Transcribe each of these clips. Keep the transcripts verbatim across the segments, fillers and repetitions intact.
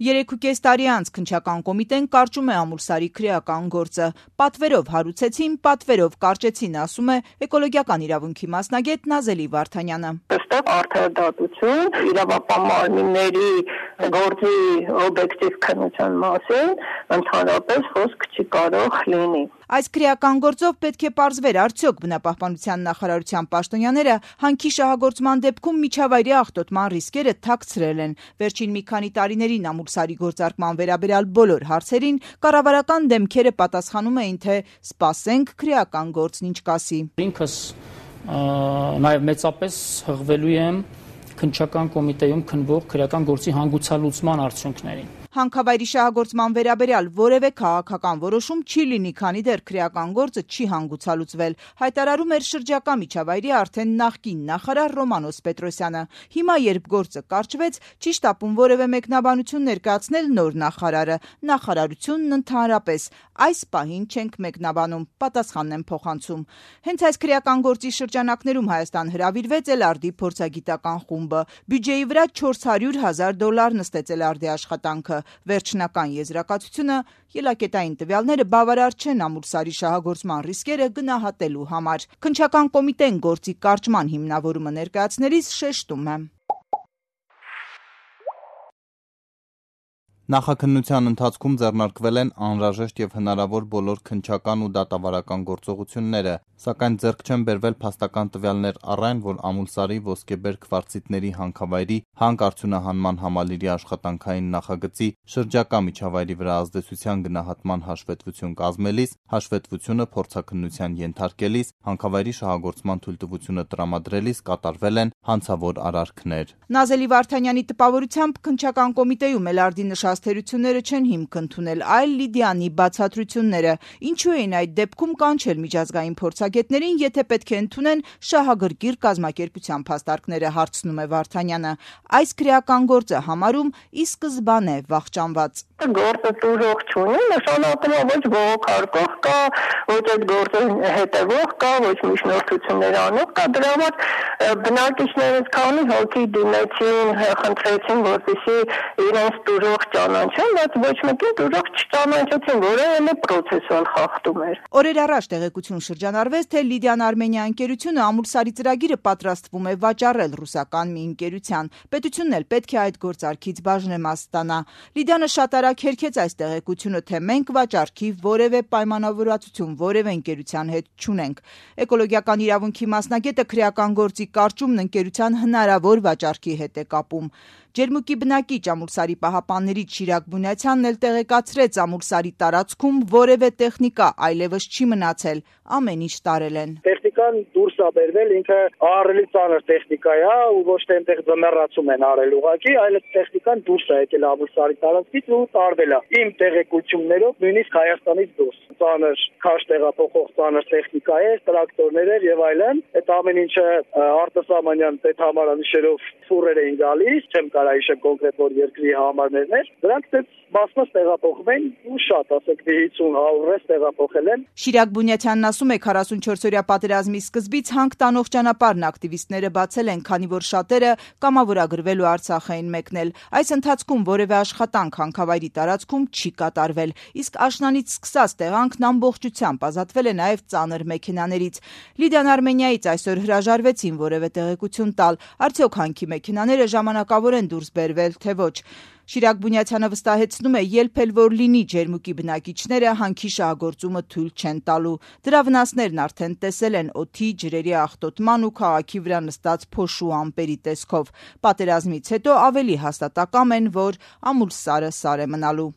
Երեքուկես տարի անց քննչական կոմիտեն կարճում է Ամուլսարի քրեական գործը։ Պատվերով հարուցեցին, պատվերով կարճեցին, ասում է էկոլոգիական իրավունքի մասնագետ Նազելի Վարդանյանը։ Այստեղ արդարադատություն, իրավապահ մարմինների գործի օբյեկտիվ քննության մասին ընդհանրապես խոսք չի կարող լինի։ Այս քրեական գործով պետք է պարզվեր արդյոք բնապահպանության նախարարության պաշտոնյաները հանքի շահագործման դեպքում միջավայրի աղտոտման ռիսկերը թաքցրել են։ Վերջին մի քանի տարիներին Ամուլսարի գործարկման վերաբերյալ բոլոր հարցերին կառավարական դեմքերը պատասխանում էին, թե սպասենք քրեական գործն ինչ կասի։ Ինքս նաև մեծապես հղվելու եմ քննչական կոմիտեում քննվող քրեական գործի հանգուցալուծման արդյունքներին։ Հանքավայրի շահագործման վերաբերյալ որևէ քաղաքական որոշում չի լինի, քանի դեռ քրեական գործը չի հանգուցալուծվել, հայտարարում էր շրջակա միջավայրի արդեն նախկին նախարար Ռոմանոս Պետրոսյանը։ Հիմա, երբ գործը կարճվեց, չի շտապում որևէ մեկնաբանություն ներկայացնել նոր նախարարը, նախարարությունն ընդհանրապես։ Այս պահին չենք մեկնաբանում, պատասխանն են փոխանցում։ Հենց այս քրեական գործի շրջանակներում Հայաստան հրավիրվեց Էլարդի փորձագիտական խումբը։ Բյուջեի վրա չորս հարյուր հազար դոլար նստեց Էլարդի աշխատանքը։ Վերջնական եզրակացությունը ելակետային տվյալները բավարար չեն Ամուլսարի շահագործման ռիսկերը գնահատելու համար։ Քննչական կոմիտեն գործի կարճման հիմնավորումը ներկայացնելիս շեշտում է. Նախաքննության ընթացքում ձեռնարկվել են անհրաժեշտ եւ հնարավոր բոլոր քննչական ու դատավարական գործողությունները, սակայն ձեռք չեն բերվել փաստական տվյալներ առ այն, որ Ամուլսարի ոսկեբեր քվարցիտների հանքավայրի հանք-արդյունահանման համալիրի աշխատանքային նախագծի շրջակա միջավայրի վրա ազդեցության գնահատման հաշվետվություն կազմելիս, հաշվետվությունը փորձաքննության ենթարկելիս, հանքավայրի շահագործման թույլտվությունը տրամադրելիս կատարվել են հանցավոր արարքներ։ Նազելի Վարդանյանի տպավորությամբ քննչական կոմիտեում Էլարդի նշած թերությունները չեն հիմք ընդունել, այլ Լիդիանի բացատրությունները։ Ինչու էին այդ դեպքում կանչել միջազգային փորձագետներին, եթե պետք է ընդունեն շահագրգիռ կազմակերպության փաստարկները, հարցնում է Վարդանյանը։ Այս քրեական գործը համարում ի սկզբանե վախճանված։ Գործը տուժող չունի, նշանակում է ոչ բողոքարկող կա, ոչ այդ գործը հետևող կա, ոչ միջնորդություններ անող կա, դրա համար բնակիչներից քանի հոգի դիմեցին, խնդրեցին, որպեսզի իրենց տուժող ճանաչեն, բայց ոչ մեկին տուժող չճանաչեցին, որը էլ պրոցեսուալ խախտում էր։ Օրեր առաջ տեղեկություն շրջանառվեց, թե Լիդիան Արմենիա ընկերությունը Ամուլսարի ծրագիրը պատրաստվում է վաճառել ռուսական մի ընկերության։ Պետությունն էլ պետք է այդ գործարքից բաժնեմաս ստանա։ Լիդիանը շատ արագ հերքեց այս տեղեկությունը, թե մենք վաճառքի որևէ պայմանավորվածություն որևէ ընկերության հետ չունենք։ Էկոլոգիական իրավունքի մասնագետը քրեական գործի կարճումն ընկերության հնարավոր վաճառքի հետ է կապում։ Ջերմուկի բնակիչ Ամուլսարի պահապաններից Շիրակ Բունյացյանն էլ տեղեկացրեց Ամուլսարի տարածքում որևէ տեխնիկա այլևս չի մնացել, ամեն ինչ տարել են։ Տեխնիկան դուրս է բերվել, ինքը ահռելի ծանր տեխնիկա է ու ոչ թե այնտեղ ձմեռացում են արել ուղղակի, այլ տեխնիկան դուրս է եկել Ամուլսարի տարածքից ու տարվել է։ Իմ տեղեկություններով նույնիսկ Հայաստանից դուրս ծանր քաշ տեղափոխող ծանր տեխնիկա է, տրակտորներ էր եւ այլն։ Այդ ամեն ինչը արտասահմանյան պետհամարանիշերով ֆուրեր էին գալիս, չեմ կարա հիշեմ կոնկրետ որ երկրի համարներն էր։ Դրանք դες բասմաս տեղափոխվեն ու շատ, ասենք հինգ հարյուր տեղափոխել են։ Շիրակ Բունյացյանն ասում է քառասունչորսօրյա պատերազմի սկզբից հանք տանող ճանապարհն ակտիվիստները բացել են, քանի որ շատերը կամավորագրվելու Արցախ էին մեկնել։ Այս ընթացքում որևէ աշխատանք հանքավայրի տարածքում չի կատարվել, իսկ աշնանից սկսած տեղանքն ամբողջությամբ ազատվել է նաև ծանր մեքենաներից։ Լիդիան Արմենիայից այսօր հրաժարվեցին որևէ տեղեկություն տալ, արդյոք հանքի մեքենաները ժամանակավոր են դուրս բերվել, թե ոչ։ Շիրակ Բունյացյանը վստահեցնում է, երբ էլ որ լինի ջերմուկի բնակիչները հանքի շահագործումը թույլ չեն տալու։ Դրա վնասներն արդեն տեսել են օդի, ջրերի աղտոտման ու քաղաքի վրա նստած փոշու ամպերի տեսքով։ Պատերազմից հետո ավելի հաստատակամ են, որ Ամուլսարը սար է մնալու։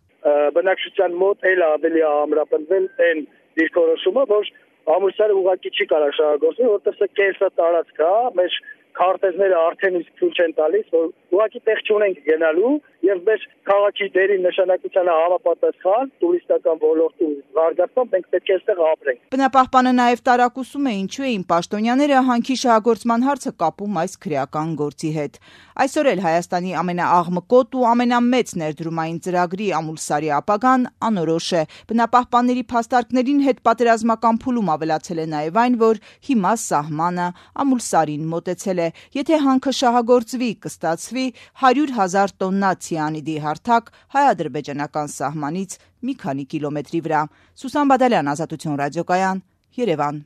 Բնակչության մոտ էլ ավելի ամրապնդվել են դիրքորոշումը, որ Ամուլսարը ուղղակի չի կարող շահագործել, որտեղ սա կեսա տարածք է, մեր քարտեզները արդեն իսկ ցույց են տալիս, որ ուղղակի տեղ չունենք գնալու եւ մեր քաղաքի դերի նշանակությանը համապատասխան տուրիստական ոլորտում զարգացման մենք պետք է այստեղ ապրենք։ Բնապահպանը նաև տարակուսում է, ինչու էին պաշտոնյաները հանքի շահագործման հարցը կապում այս քրեական գործի հետ։ Այսօր էլ Հայաստանի ամենաաղմկոտ ու ամենամեծ ներդրումային ծրագրի Ամուլսարի ապագան անորոշ է։ Բնապահպանների փաստարկներին հետ պատերազմական փուլում ավելացել է նաև այն, որ հիմա սահմանը Ամուլսարին մոտեցել է։ Եթե հանքը շահագործվի, կստացվի հարյուր հազար տոննա ցի ցիանիդի հարթակ հայ-ադրբեջանական սահմանից մի քանի կիլոմետրի վրա։ Սուսան Բադալյան, Ազատություն ռադիոկայան, Երևան։